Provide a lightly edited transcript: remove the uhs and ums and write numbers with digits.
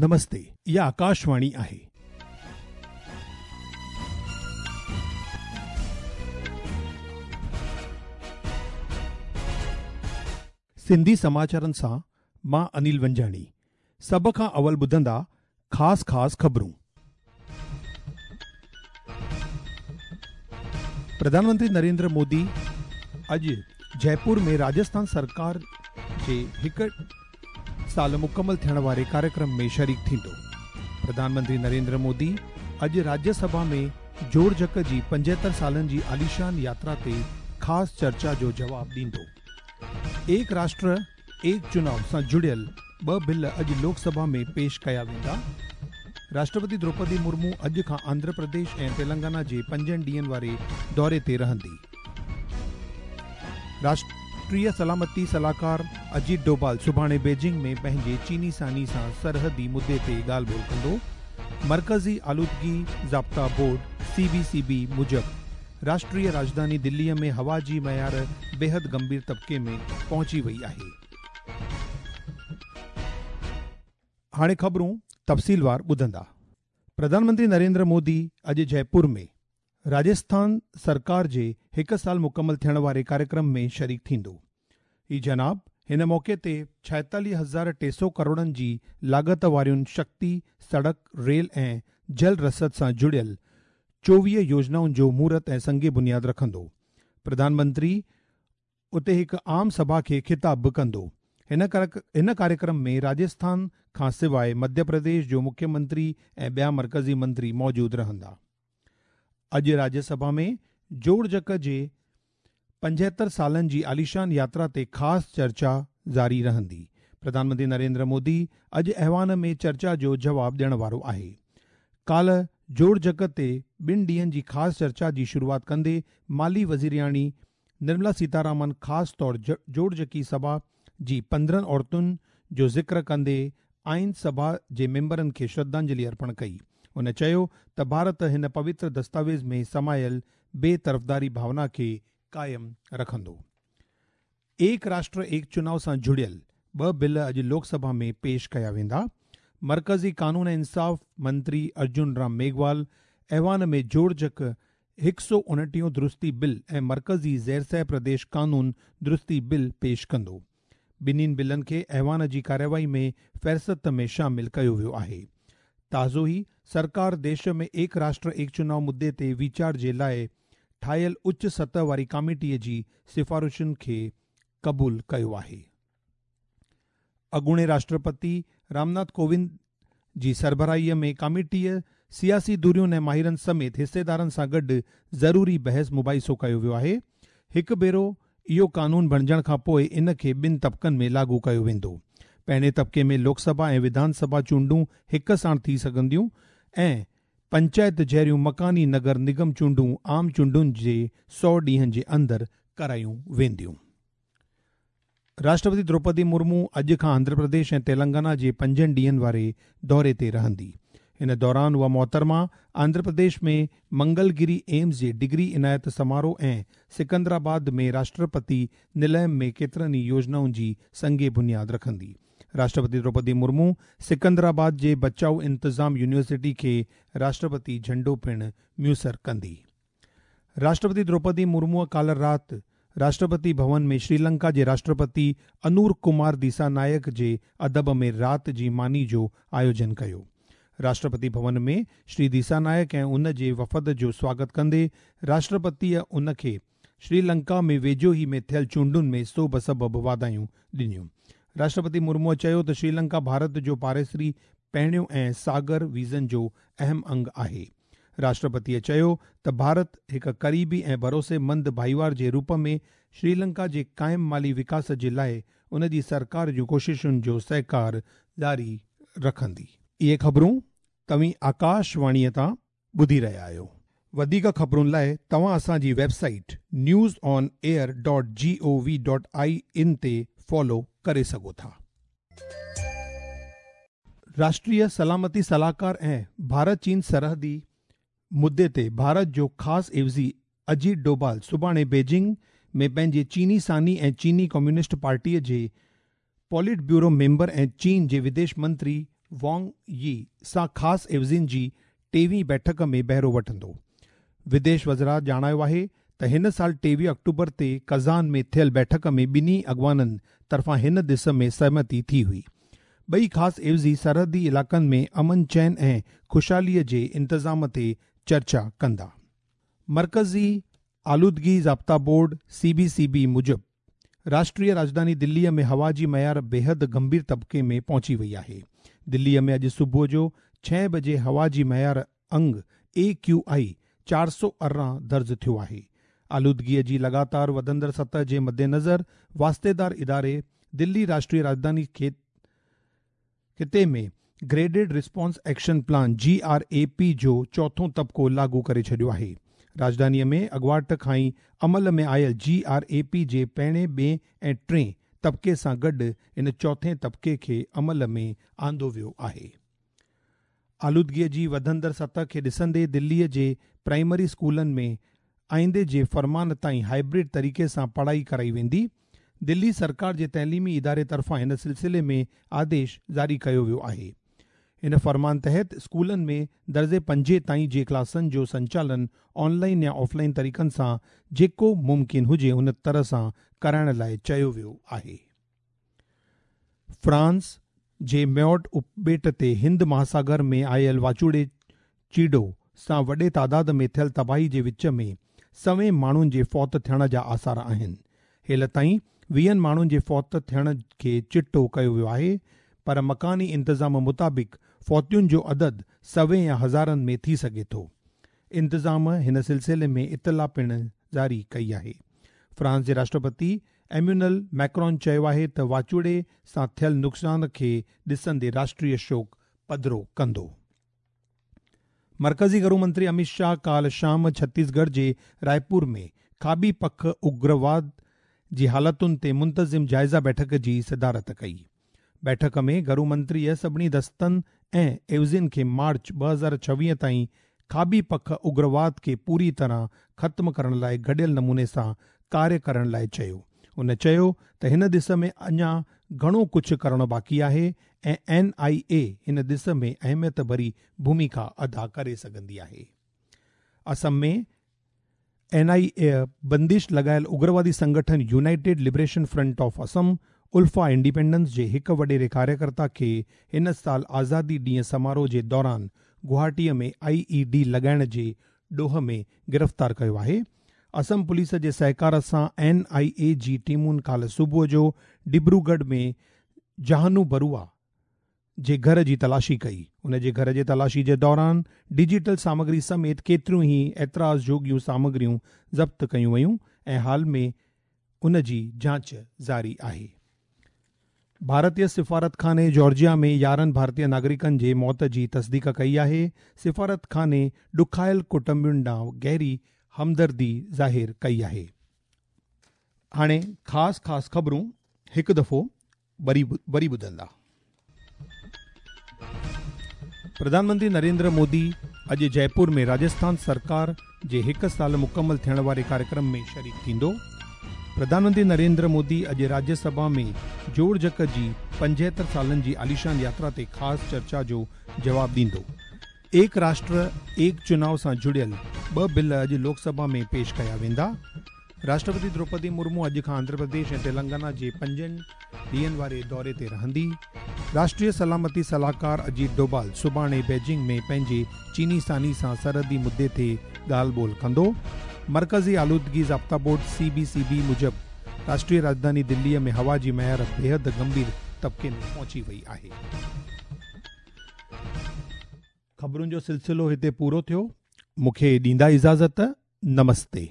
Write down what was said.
نمستي اها آڪاشواڻي آهي. سنڌي سماچارن سان مان انيل ونجاڻي سڀ کان اول ٻڌندا خاص خاص خبرون. پرڌان منتري نريندر مودي اڄ جئپور ۾ راجسٿان سرڪار جي هڪ سال مڪمل ٿيڻ واري ڪاريڪرم ۾ شريڪ ٿيندو. پرڌان منتري نريندر مودي اڄ راجيه سڀا ۾ جوڙجڪ جي 75 سالن جي عاليشان ياترا تي خاص چرچا جو جواب ڏيندو. ايڪ راشٽر ايڪ چناء سان جڙيل ٻه بل اڄ لوڪ سڀا ۾ پيش ڪيا ويندا. راشٽرپتي دروپدي مرمو اڄ کان آنڌرا پرديش ۽ تيلنگانا جي پنجن ڏينهن واري دوري تي رهندي. راشٽريه سلامتي صلاحڪار اجيت ڊوڀال سڀاڻي بيجنگ ۾ پنهنجي چيني ثاني سان سرحدي مدعي تي ڳالهه ٻولهه ڪندو. مرڪزي آلودگي ضابطا بورڊ، سي بي سي بي، موجب راشٽريه راڄڌاني دلي ۾ هوا جي معيار بيحد گنڀير طبقي ۾ پهچي وئي آهي. هاڻي خبرون تفصيلوار ٻڌندا. پرڌان منتري نريندر مودي اڄ جئپور ۾ راجسٿان سرڪار جي هڪ سال مڪمل ٿيڻ واري ڪاريڪرم ۾ شريڪ ٿيندو. هي جناب هن موقعي تي 46,300 ڪروڙن جي لاڳت وارين شڪتي، سڙڪ، ريل ۽ جل رسد سان جڙيل 24 يوجنائن جو مهورت ۽ سنگ بنياد رکندو. پرڌان منتري اتي هڪ عام سڀا کي خطاب به ڪندو. هن ڪاريڪرم ۾ راجسٿان کان سواء مڌيه پرديش جو مکيه منتري ۽ ٻيا مرڪزي منتري موجود رهندا. اڄ راجيه سڀا ۾ جوڙجڪ جي 75 سالن جي عاليشان ياترا تي خاص چرچا جاري رهندي. پرڌان منتري نريندر مودي اڄ ايوان ۾ چرچا جو جواب ڏيڻ وارو آهي. ڪالهه جوڙجڪ تي ٻن ڏينهن جي خاص چرچا جي شروعات ڪندي مالي وزيرياڻي نرملا سيتارامن خاص طور جوڙجڪي سڀا جي 15 عورتن جو ذڪر ڪندي آئين سڀا جي ميمبرن کي شرڌانجلي ارپڻ ڪئي. هن چيو ته ڀارت هن پوتر دستاويز ۾ سمايل بي طرفداري ڀاونا کي قائم رکندو. ايڪ راشٽر ايڪ چناء سان جڙيل ٻه بل اڄ لوڪ سڀا ۾ پيش ڪيا ويندا. مرڪزي قانون ۽ انصاف منتري ارجن رام ميگهوال ايوان ۾ جوڙجڪ 129 درستي بل ۽ مرڪزي زيرسه پرديش قانون درستي بل پيش ڪندو. ٻنهين بلن کي ايوان جي ڪارروائي ۾ فهرست ۾ شامل ڪيو ويو آهي. تازو ئي سرڪار ديش ۾ ايڪ راشٽر ايڪ چناء مدعي تي ويچار جي لاء ٺاهيل اچ سطح واري ڪاميٽي جي سفارشن کي قبول ڪيو آهي. اڳوڻي راشٽرپتي رامناٿ ڪووند جي سربراهيء ۾ ڪاميٽيء سياسي ڌرين ۽ ماهرن سميت حصيدارن سان گڏ ضروري بحث مباحثو ڪيو ويو آهي. هڪ ڀيرو اهو قانون بڻجڻ کان پوء ان کي ٻن طبقن ۾ لاڳو ڪيو ويندو. پهرين طبقي ۾ لوڪ سڀا ۽ وڌان سڀا چونڊون هڪ ساڻ ٿي سگهنديون ۽ پنچائت جهڙيون مڪاني نگر نگم چونڊون عام چونڊن جي 100 ڏينهن جي اندر ڪرايون وينديون. راشٽرپتي دروپدي مرمو اڄ کان آنڌرا پرديش ۽ تيلنگانا جي پنجن ڏينهن واري دوري تي رهندي. ان دوران اها محترمه آنڌرا پرديش ۾ منگلگري ايمز جي ڊگري عنايت سماروهه ۽ سڪندرآباد ۾ راشٽرپتي نليم ۾ ڪيترن ئي يوجنائن جي سنگ بنياد رکندي. راشٽرپتي دروپدي مرمو سڪندرآباد جي بچاء انتظام يونيورسٽي کي راشٽرپتي جهنڊو پڻ ميسر ڪندي. راشٽرپتي دروپدي مرموء ڪالهه رات راشٽرپتي ڀون ۾ شريلنڪا جي راشٽرپتي انور ڪمار ديسانائڪ جي ادب ۾ رات جي ماني جو آيوجن ڪيو. راشٽرپتي ڀون ۾ شري ديسانائڪ ۽ ان جي وفد جو سواگت ڪندي راشٽرپتيء ان کي شريلنڪا ۾ ويجهو ئي ۾ ٿيل چونڊن ۾ سوڀ سبب واڌايون ڏنيون. راشٽرپتي مرموء چيو ته شريلنڪا ڀارت جو پاڙيسري پهريون ۽ ساگر ويزن جو اهم انگ آهي. راشٽرپتيء چيو ته ڀارت هڪ قريبي ۽ ڀروسيمند ڀائيوار جي روپ ۾ شريلنڪا جي قائم مالي وڪاس جي لاء ان جي سرڪار جون ڪوششن جو سهڪار جاري رکندي. اهي خبرون توهين آڪاش واڻيء تان ٻڌي رهيا آهيو. وڌيڪ خبرن لاء توهان اسان جي website news on air dot G O V dot I N تي فالو ڪري سگهو ٿا. راشٽريه سلامتي صلاحڪار ۽ ڀارت چين سرحدي مدعي تي ڀارت جو خاص عيوضي اجيت ڊوڀال سڀاڻي بيجنگ ۾ پنهنجي چيني ثاني ۽ چيني ڪميونسٽ پارٽيء جي پوليٽ بيورو ميمبر ۽ چين جي وديش منتري وانگ يي سان خاص عيوضين جي ٽيويهين بيٺڪ ۾ بهرو وٺندو. وديش وزارت ڄاڻايو آهي ته هن سال 23 آڪٽوبر تي ڪزان ۾ ٿيل بيٺڪ ۾ ٻنهي اڳواڻن طرفان هن ڏس ۾ سهمتي ٿي هئي. ٻئي خاص عيوضي سرحدي علائقن ۾ امن چين ۽ خوشحالي جي انتظام تي چرچا ڪندا. مرڪزي آلودگي ضابطا بورڊ، سي بي سي بي، موجب راشٽريه راڄڌاني دليء ۾ هوا جي معيار بيحد گنڀير طبقي ۾ پهچي وئي آهي. دليء ۾ اڄ صبح جو ڇهين بجي هوا جي معيار انگ اي ڪيو آء 418 درج ٿيو آهي. آلودگيء جي لڳاتار وڌندڙ سطح جي مدنظر واسطيدار اداري دلي راشٽريه راڄڌاني خطي ۾ graded response action plan, G R A P, جو چوٿون طبقو لاڳو ڪري ڇڏيو آهي. راڄڌانيء ۾ اڳواٽ کان ئي عمل ۾ آيل جي آر اي پي جي پهرين، ٻئين ۽ ٽئين طبقي سان گڏ ان چوٿين طبقي کي عمل ۾ آندو ويو آهي. آلودگيء جي وڌندڙ سطح کي ڏسندي دليء جي پرائمري اسڪولن ۾ آئيندي جي فرمان تائين هائبرڊ طريقي سان پڙهائي ڪرائي ويندي. دلي سرڪار جي تعليمي اداري طرفان هن سلسلي ۾ آديش جاري ڪيو ويو آهي. هن فرمان تحت اسڪولن ۾ درجي پنجين تائين جي ڪلاسن جو سنچالن آن لائين يا آف لائين طريقن سان جيڪو ممڪن هجي ان طرح سان ڪرائڻ لاء چيو ويو آهي. فرانس جي ميوٽ اپٻيٽ تي هند مهاساگر ۾ آيل واچوڙي چيڊو سان وڏي تعداد ۾ ٿيل تباهي جي وچ ۾ سوين ماڻهن جي فوت ٿيڻ جا آثار آهن. هيل تائين ويهن ماڻهن جي فوت ٿيڻ کي چٽو ڪيو ويو آهي پر مڪاني انتظام مطابق فوتين جو عدد سوين يا هزارن ۾ ٿي سگهي ٿو. انتظام هن سلسلي ۾ اطلاع پڻ جاري ڪئي آهي. فرانس جي راشٽرپتي ايميونل ميڪرون چيو آهي ته واچوڙي سان ٿيل نقصان کي ڏسندي راشٽريه شوڪ پڌرو ڪندو. مرڪزي گهرو منتري اميت شاهه ڪالهه شام ڇتيسڳڙهه جي رائپور ۾ کاٻي پک اگرواد جي حالتن تي منتظم جائزه بيٺڪ جي صدارت ڪئي. بيٺڪ ۾ گهرو منتريء سڀني دستن ۽ عيوضين کي مارچ 2026 تائين کاٻي پک اگرواد کي پوري طرح ختم ڪرڻ لاء گڏيل نموني سان ڪاريه ڪرڻ لاء چيو. هن چيو ته هن ڏس ۾ اڃا گهڻو ڪجهه ڪرڻو باقي آهي ۽ اين آء اي هن ڏس ۾ اهميت ڀري ڀوميڪا ادا ڪري سگهندي آهي. اسم ۾ اين آء اي بندش لڳايل اگروادي سنگٺن united liberation front of Assam, ULFA independence, جي هڪ وڏيري ڪاريڪرتا کي هن سال آزادي ڏينهن سماروهه جي دوران گوهاٽيء ۾ آء اي ڊي لڳائڻ جي ڏوهه ۾ گرفتار ڪيو آهي. اسم پوليس جي سهڪار سان اين آء اي جي ٽيمن ڪالهه صبح جو ڊبروڳڙهه ۾ جهانو بروا جي گهر جي تلاشي ڪئي. ان جي گهر جي تلاشي جي دوران ڊجيٽل سامگري سميت ڪيتريون ئي اعتراض جوڳيون سامگريون ضبط ڪيون ويون ۽ حال ۾ ان جي جاچ جاري آهي. ڀارتي سفارتخاني جارجيا ۾ 11 ڀارتي ناگرڪن جي موت جي تصديق ڪئي آهي. سفارتخاني ڏکايل ڪٽنبن ڏانهن گهري همدردي ظاهر ڪئي آهي. هاڻي خاص خاص خبرون هڪ دفعو وري وري ٻڌندا. پرڌان منتري نريندر مودي اڄ جئپور ۾ راجسٿان سرڪار جي هڪ سال مڪمل ٿيڻ واري ڪاريڪرم ۾ شريڪ ٿيندو. پرڌان منتري نريندر مودي اڄ راجيه سڀا ۾ جوڙجڪ جي 75 سالن جي عاليشان ياترا تي خاص چرچا جو جواب ڏيندو. ايڪ راشٽر ايڪ چناء سان جڙيل ٻه بل اڄ لوڪ سڀا ۾ پيش ڪيا ويندا. راشٽرپتي دروپدي مرمو اڄ کان آنڌرا پرديش ۽ تيلنگانا جي پنجن ڏينهن واري دوري تي رهندي. راشٽريه سلامتي صلاحڪار اجيت ڊوبال سڀاڻي بيجنگ ۾ پنهنجي چيني ثاني سان سرحدي مدي تي ڳالهه ٻولهه ڪندو. مرڪزي آلودگي ضابطا بورڊ، سي بي سي بي، موجب راشٽريه راڄڌاني دلي ۾ هوا جي معيار بيحد گنڀير طبقي ۾ پهچي وئي آهي. خبرن جو سلسلو هتي پورو ٿيو. مون کي ڏيندا اجازت. نمستي.